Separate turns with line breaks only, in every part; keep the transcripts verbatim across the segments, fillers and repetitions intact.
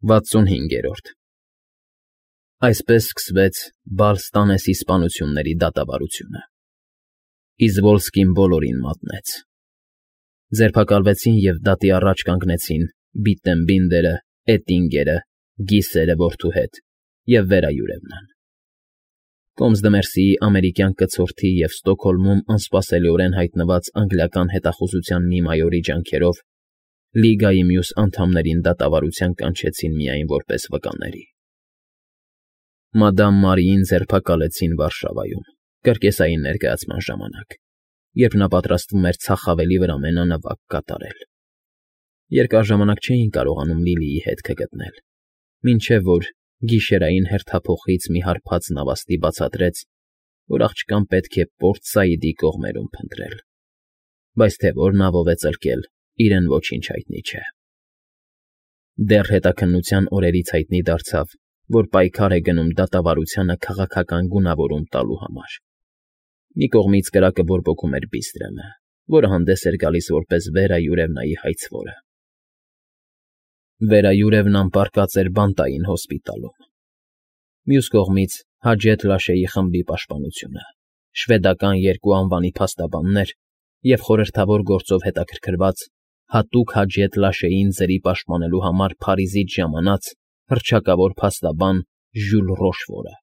վաթսունհինգերորդ Այսպես սկսվեց Բալստանեսի սպանությունների դատավարությունը, Իզվոլսկին բոլորին մատնեց. ձերբակալվեցին և դատի առաջ կանգնեցին Բիտտենբինդերը, Էտինգերը, Գիսերը որդու հետ և Վերայուրևնան։ Կոմսդմերսիի ամերիկյան կցորդի և Ստոկհոլմում անսպասելիորեն հայտնված անգլիական հետախուզության մի մայորի ջանքերով Լիգայի մյուս անդամներին դատավարության կանչեցին միայն որպես վկաների։ Մադամ Մարիին ձերբակալեցին Վարշավայում, կրկեսային ներկայացման ժամանակ, երբ նա պատրաստվում էր ցախավելի վրա մենանվագ կատարել։ Երկար ժամանակ չէին կարողանում Լիլիի հետքը գտնել, մինչև որ գիշերային հերթափոխից մի հարբած նավաստի բացատրեց, որ աղջկան պետք է Պորտ Սաիդի կողմերում փնտրել, բայց թե որ նավով է ծլկել, իրեն ոչինչ հայտնի չէ։ Դեռ հետաքննության օրերից հայտնի դարձավ, որ պայքար է գնում դատավարությանը քաղաքական գունավորում տալու համար։ Մի կողմից կրակը բորբոքում էր Բիստրեմը, որը հանդես էր գալիս որպես Վերայուրևնայի հայցվորը։ Վերայուրևնան պառկած էր բանտային հոսպիտալում։ Մյուս կողմից Հաջեթ Լաշեի խմբի պաշտպանությունը, շվեդական երկու անվանի փաստաբաններ և խորհրդավոր գործով հետաքրքրված, հատուկ Հաջեթ Լաշեին ձրի պաշտպանելու համար Փարիզից ժամանած հռչակավոր փաստաբան Ժյուլ Ռոշֆորը։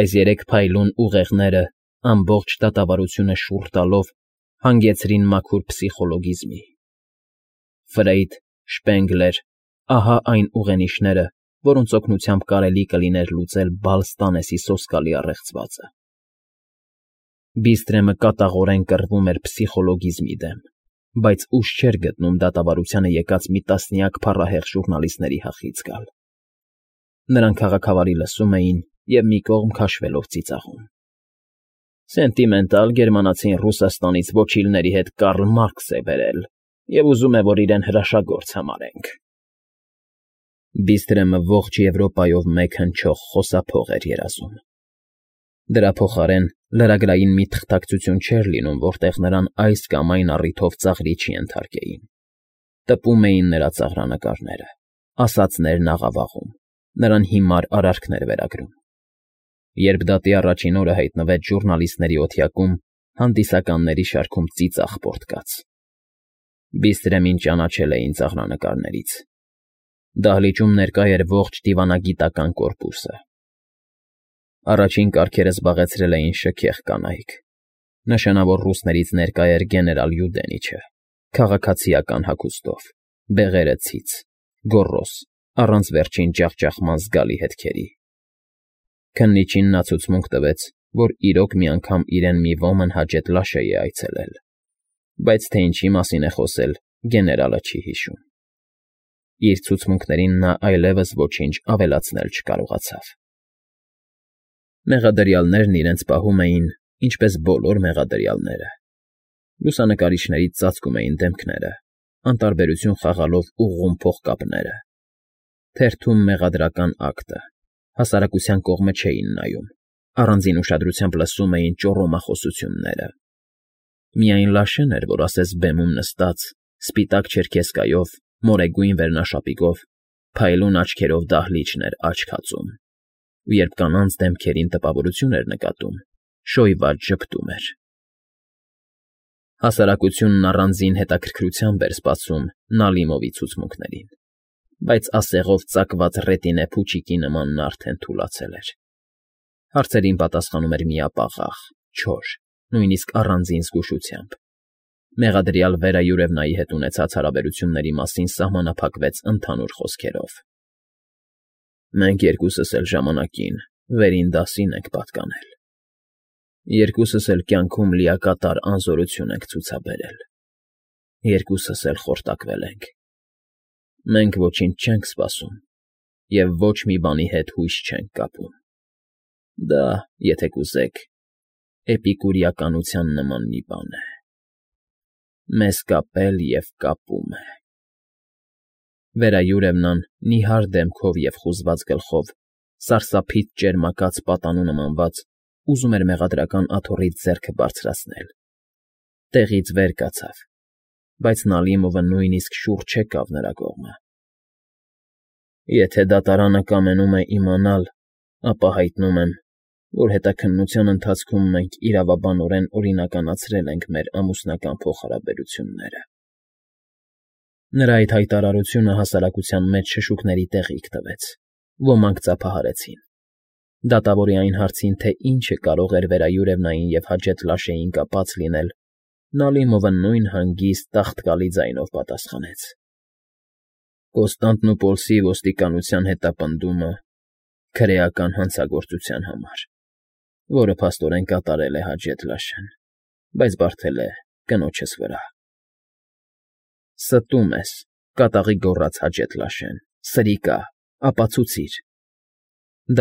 Այս երեք փայլուն ուղեղները ամբողջ դատավարությունը շուռ տալով հանգեցրին մաքուր փսիխոլոգիզմի։ Ֆրեյդ, Շպենգլեր, ահա այն ուղենիշները, որոնց օգնությամբ կարելի կլիներ լուծել Բալստանեսի սոսկալի առեղծվածը։ Բիստրեմը կատաղորեն կռվում էր փսիխոլոգիզմի դեմ, բայց ուժ չէր գտնում դատավարությանը եկած մի տասնյակ փառահեղ ժուռնալիստների հախից գալ։ Նրանք քաղաքավարի լսում էին և մի կողմ քաշվելով ծիծաղում։ Սենտիմենտալ գերմանացին Ռուսաստանից ոչիլների հետ Կարլ Մարքս է բերել և ուզում է, որ իրեն հրաշագործ համարենք։ Բիստրեմը ողջ Եվրոպայով մեկ հնչող խոսափող էր երազում։ Դրա փոխարեն լրագրային մի թղթակցություն չէր լինում, որտեղ նրան այս կամ այն առիթով ծաղրի չենթարկեին։ Տպում էին նրա ծաղրանկարները, ասածներն աղավաղում, նրան հիմար արարքներ վերագրում։ Երբ դատի առաջին օրը հայտնվեց ժուռնալիստների օթյակում, հանդիսականների շարքում ծիծաղ պոռթկաց։ Բիստրեմին ճանաչել էին ծաղրանկարներից։ Դահլիճում ներկա էր ողջ դիվանագիտական կորպուսը։ Առաջին կարգերը զբաղեցրել էին շքեղ կանայք։ Նշանավոր ռուսներից ներկա էր գեներալ Յուդենիչը, քաղաքացիական հագուստով, բեղերը ցից, գոռոզ, առանց վերջին ջախջախման զգալի հետքերի։ Քննիչին նա ցուցմունք տվեց, որ իրոք մի անգամ իրեն մի ոմն Հաջեթ Լաշեի է այցելել, բայց թե ինչի մասին է խոսել, գեներալը չի հիշում։ Իր ցուցմունքներին նա այլևս ոչինչ ավելացնել չկարողացավ։ Մեղադրյալներն իրենց պահում էին, ինչպես բոլոր մեղադրյալները։ Լուսանկարիչներից ծածկում էին դեմքները, անտարբերություն խաղալով ուղղում փողկապները։ Թերթում մեղադրական ակտը, հասարակության կողմը չէին նայում, առանձին ուշադրությամբ լսում էին ճոռոմախոսությունները։ Միայն Լաշեն էր, որ ասես բեմում նստած, սպիտակ չերքեզկայով, մորեգույն վերնաշապիկով, փայլուն աչքերով դահլիճն էր աչք հածում, ու երբ կանանց դեմքերին տպավորություն էր նկատում, շոյված ժպտում էր։ Հասարակությունն առանձին հետաքրքրությամբ էր սպասում Նալիմովի ցուցմունքներին, բայց ասեղով ծակված ռետինե փուչիկի նման նա արդեն թուլացել էր։ Հարցերին պատասխանում էր միապաղաղ, չոր, նույնիսկ առանձին զգուշությամբ։ Մեղադրյալ Վերայուրևնայի հետ ունեցած հարաբերությունների մասին սահմանափակվեց ընդհանուր խոսքերով։ Մենք երկուսս էլ ժամանակին վերին դասին ենք պատկանել։ Երկուսս էլ կյանքում լիակատար անզորություն ենք ցուցաբերել։ Երկուսս էլ խորտակվել ենք։ Մենք ոչինչ չենք սպասում և ոչ մի բանի հետ հույս չենք կապում։ Դա, եթե կուզեք, էպիկուրեականության նման մի բան է։ Մեզ կապել և կապում է։ Վերայուրևնան նիհար դեմքով և խուզված գլխով, սարսափից ճերմակած պատանու նմանված, ուզում էր մեղադրական աթոռից ձեռքը բարձրացնել։ Տեղից վեր կացավ, բայց Նալիմովը նույնիսկ շուռ չեկավ նրա կողմը։ Եթե դատարանը կամենում է իմանալ, ապա հայտնում եմ, որ հետաքննության ընթացքում մենք իրավաբանորեն օրինականացրել ենք մեր ամուսնական փոխհարաբերությունները։ Նրա այդ հայտարարությունը հասարակության մեջ շշուկների տեղիք տվեց, ոմանք ծափահարեցին։ Դատավորի այն հարցին, թե ինչը կարող էր վերայուրևնային և հաջет լաշեին կապած լինել, Նալիմովը նույն հանգիստ, տաղտկալի ձայնով պատասխանեց. Կոստանդնուպոլսի ոստիկանության հետապնդումը քրեական հանցագործության համար, որը փաստորեն կատարել է Հաջեթ Լաշեն, բայց բարդել է կնոջս վրա։ Ստում ես, կատաղի գոռաց Հաջեթ Լաշեն, սրիկա, ապացուցիր։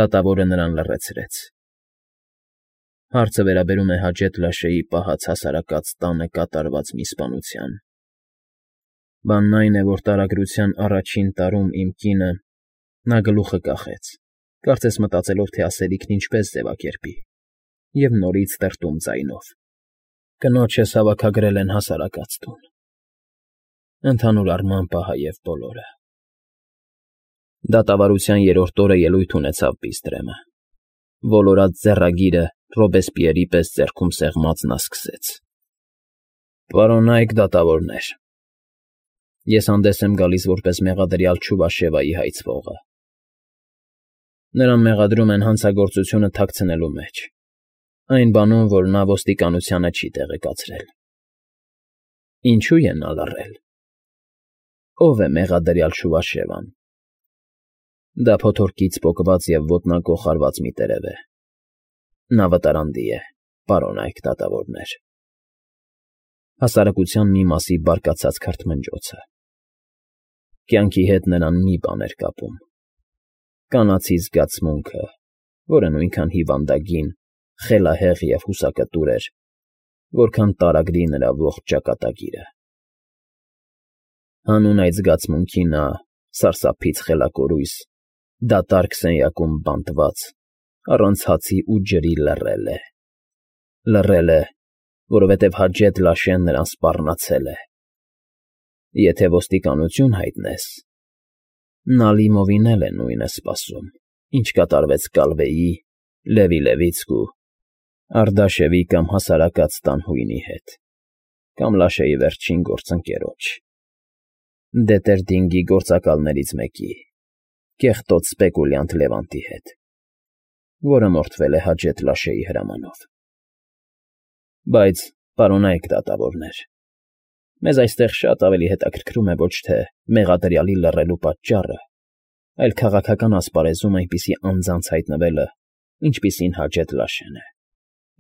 Դատավորը նրան լռեցրեց։ Հարցը վերաբերում է Հաջեթ Լաշեի պահած հասարակած տանը կատարված մի սպանության։ Բանն այն է, որ տարագրության առաջին տարում իմ կինը, նա գլուխը կախեց, կարծես մտածելով, թե ասելիքն ինչպես ձևակերպի, և նորից տրտում ձայնով. Կնոջս հավաքագրել են հասարակած տուն։ Ընդհանուր առմամբ ահա և բոլորը։ Դատավարության երրորդ օրը ելույթ ունեցավ Բիստրեմը։ Ոլորած ձեռագիրը Ռոբեսպիերի պես ձեռքում սեղմած նա սկսեց. Պարոնայք դատավորներ, ես հանդես եմ գալիս որպես մեղադրյալ Չուվաշևայի հայցվողը։ Նրան մեղադրում են հանցագործությունը թաքցնելու մեջ, այն բանում, որ նա ոստիկանությանը չի տեղեկացրել։ Ինչու է նա լռել։ Ո՞վ է մեղադրյալ Չուվաշևան։ Դա փոթորկից պոկված և ոտնակոխ արված մի տերև է։ Նա վտարանդի է, պարոնայք դատավորներ։ Հասարակության մի մասի բարկացած քրթմնջոցը։ Կյանքի հետ նրան մի բան էր կապում։ Կանացի զգացմունքը, որը նույնքան հիվանդագին, խելահեղ և հուսակտուր էր, որքան տարագրի նրա ողջ ճակատագիրը։ Հանուն այդ զգացմունքի նա, սարսափից խելակորույս, դատարկ սենյակում բանտված, առանց հացի ու ջրի լռել է։ Լռել է, որովհետև Հաջեթ Լաշեն նրան սպառնացել է։ Եթե ոստիկանություն հայտնես, Նալիմովին էլ է նույնը սպասում, ինչ կատարվեց Կալվեի, Լևի Լևիցկու, Արդաշևի կամ հասարակած տան հույնի հետ, կամ Լաշեի վերջին գործընկերոջ, Դետերդինգի գործակալներից մեկի, կեղտոտ սպեկուլյանտ Լևանտի հետ, որը մորթվել է Հաջեթ Լաշեի հրամանով։ Բայց, պարոնայք դատավորներ, մեզ այստեղ շատ ավելի հետաքրքրում է ոչ թե մեղադրյալի լռելու պատճառը, այլ քաղաքական ասպարեզում այնպիսի անձանց հայտնվելը, ինչպիսին Հաջեթ Լաշեն է,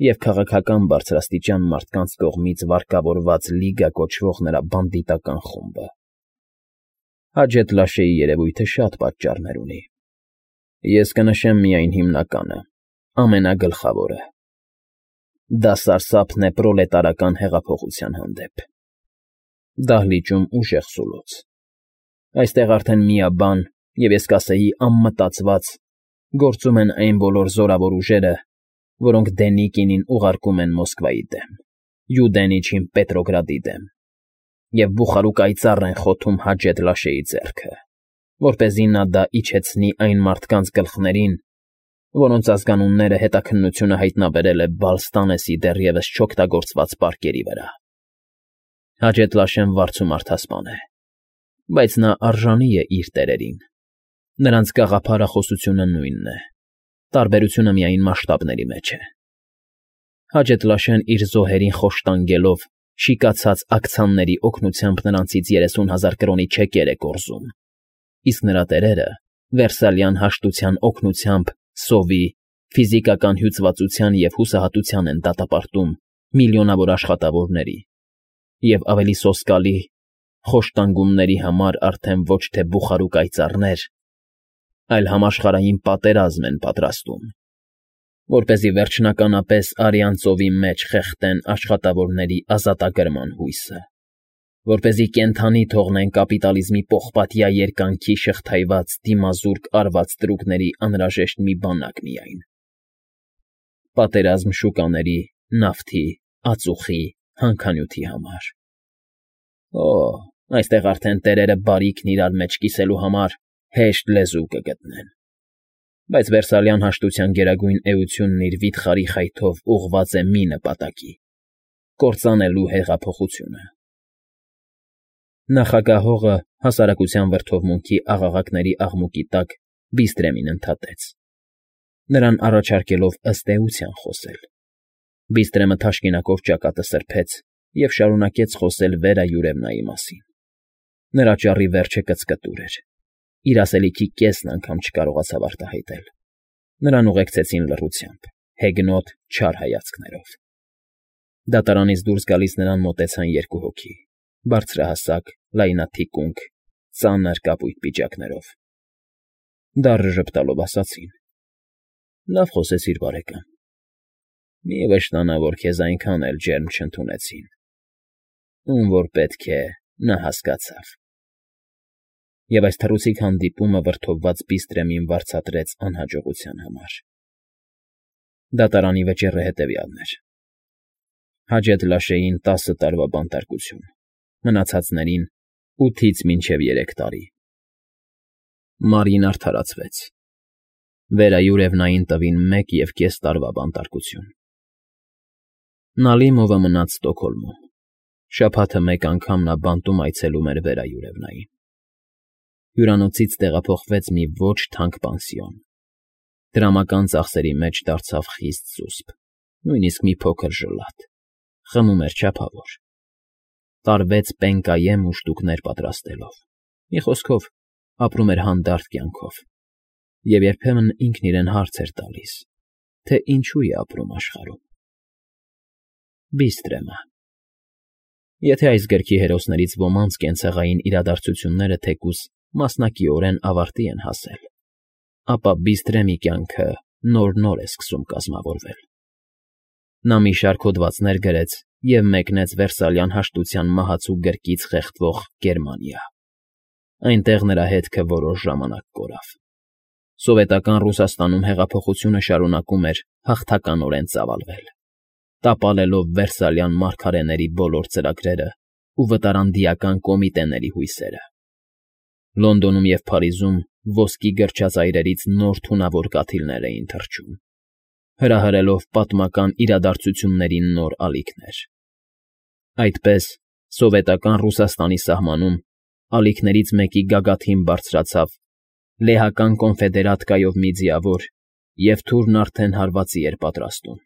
և քաղաքական բարձրաստիճան մարդկանց կողմից վարկավորված Լիգա կոչվող նրա բանդիտական խումբը։ Հաջեթ Լաշեի երևույթը շատ պատճառներ ունի։ Ես կնշեմ միայն հիմնականը, ամենագլխավորը։ Դա սարսափն է պրոլետարական հեղափոխության հանդեպ։ Դահլիճում ուժեղ սուլոց։ Այստեղ արդեն միաբան, և ես կասեի անմտածված, գործում են այն բոլոր զորավոր ուժերը, որոնք Դենիկինին ուղարկում են Մոսկվայի դեմ, Յուդենիչին Պետրոգրադի դեմ, և բուխարուկայծառ են խոթում Հաջեթ Լաշեի ձեռքը, որպեսզի նա դա իջեցնի այն մարդկանց գլխներին, որոնց ազգանունները հետաքննությունը հայտնաբերել է Բալստանեսի դեռևս չօգտագործված պարկերի վրա։ Հաջեթ Լաշեն վարձու մարդասպան է, բայց նա արժանի է իր տերերին։ Նրանց գաղափարախոսությունը նույնն է, տարբերությունը միայն մասշտաբների մեջ է։ Հաջեթ Լաշեն իր զոհերին խոշտանգելով, շիկացած աքցանների օգնությամբ նրանցից երեսուն հազար կրոնի չեկեր է կորզում, իսկ նրա տերերը Վերսալյան հաշտության օգնությամբ սովի, ֆիզիկական հյուծվածության և հուսահատության են դատապարտում միլիոնավոր աշխատավորների և ավելի սոսկալի, խոշտանգումների համար արդեն ոչ թե բուխարուկայծառներ, այլ համաշխարհային պատերազմ են պատրաստում, որպեսզի վերջնականապես Արյան ծովի մեջ խեղդեն աշխատավորների ազատագրման հույսը, որպեսզի կենդանի թողնեն կապիտալիզմի պողպատյա երկանքի շղթայված դիմազուրկ արված տրուկների անհրաժեշտ մի բանակ միայն։ Պատերազմ շուկաների, նավթի, ածուխի, հանքանյութի համար։ Օ, այստեղ արդեն տերերը բարիքն իրար մեջ կիսելու համար հեշտ լեզու կգտնեն։ Բայց Վերսալյան հաշտության գերագույն էությունն իր վիթխարի խայթով ուղղված է մի նպատակի՝ կործանելու հեղափոխությունը։ Նախագահողը հասարակության վրդովմունքի աղաղակների աղմուկի տակ Բիստրեմին ընդհատեց, նրան առաջարկելով ըստ էության խոսել։ Բիստրեմը թաշկինակով ճակատը սրբեց և շարունակեց խոսել Վերա Յուրևնայի մասին։ Նրա ճառի վերջը կծկտուր էր, իր ասելիքի կեսն անգամ չկարողացավ արտահայտել։ Նրան ուղեկցեցին լռությամբ, հեգնոտ, չար հայացքներով։ Դատարանից դուրս գալիս նրան մոտեցան երկու հոգի, բարձրահասակ, լայնաթիկունք, ծանր կապույտ պիջակներով։ Դառը ժպտալով ասացին. «Լավ խոսեցիր, բարեկամ։ Մի վշտանա, որ քեզ այնքան էլ ջերմ չընդունեցին։ Ում որ պետք է, նա հասկացավ»։ Եվ այս թռուցիկ հանդիպումը վրդովված Բիստրեմին վարձատրեց անհաջողության համար։ Դատարանի վճիռը հետևյալն էր. Հաջեթ Լաշեին տասը տարվա բանտարկություն, մնացածներին ութից մինչև երեք տարի։ Մարին արդարացվեց։ Վերա Յուրևնային տվին մեկ և կես տարվա բանտարկություն։ Նալիմովը մնաց Ստոկհոլմում։ Շաբաթը մեկ անգամ նա բանտում այցելում էր Վերա Յուրևնային։ Հյուրանոցից տեղափոխվեց մի ոչ թանկ պանսիոն։ Դրամական ծախսերի մեջ դարձավ խիստ զուսպ, նույնիսկ մի փոքր ժլատ, խմում էր չափավոր։ Տարվեց պենկայեմ ուշտուկներ պատրաստելով։ Մի խոսքով, ապրում էր հանդարտ կյանքով։ Եվ երբեմն ինքն իրեն հարց էր տալիս, թե ինչու է ապրում աշխարհում։ Բիստրեմը։ Եթե այս գրքի հերոսներից ոմանց կենցաղային իրադարձությունները թեկուզ մասնակիորեն ավարտի են հասել, ապա Բիստրեմի կյանքը նոր֊նոր է սկսում կազմավորվել։ Նա մի շարք հոդվածներ գրեց և մեկնեց Վերսալյան հաշտության մահացու գրկից խեղդվող Գերմանիա։ Այնտեղ նրա հետքը որոշ ժամանակ կորավ։ Սովետական Ռուսաստանում հեղափոխությունը շարունակում էր հաղթականորեն ծավալվել, տապալելով Վերսալյան մարգարեների բոլոր ծրագրերն ու վտարանդիական կոմիտեների հույսերը։ Լոնդոնում և Փարիզում ոսկի գրչածայրերից նոր թունավոր կաթիլներ էին թռչում, հրահրելով պատմական իրադարձությունների նոր ալիքներ։ Այդպես, սովետական Ռուսաստանի սահմանում ալիքներից մեկի գագաթին բարձրացավ լեհական կոնֆեդերատկայով մի ձիավոր, և թուրն արդեն հարվածի էր պատրաստում։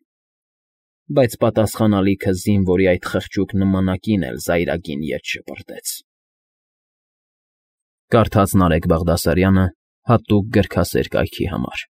Բայց պատասխան ալիքը զինվորի այդ խղճուկ նմանակին էլ զայրագին ետ շպրտեց։ Կարդաց Նարեկ Բաղդասարյանը հատուկ գրքասեր կայքի համար։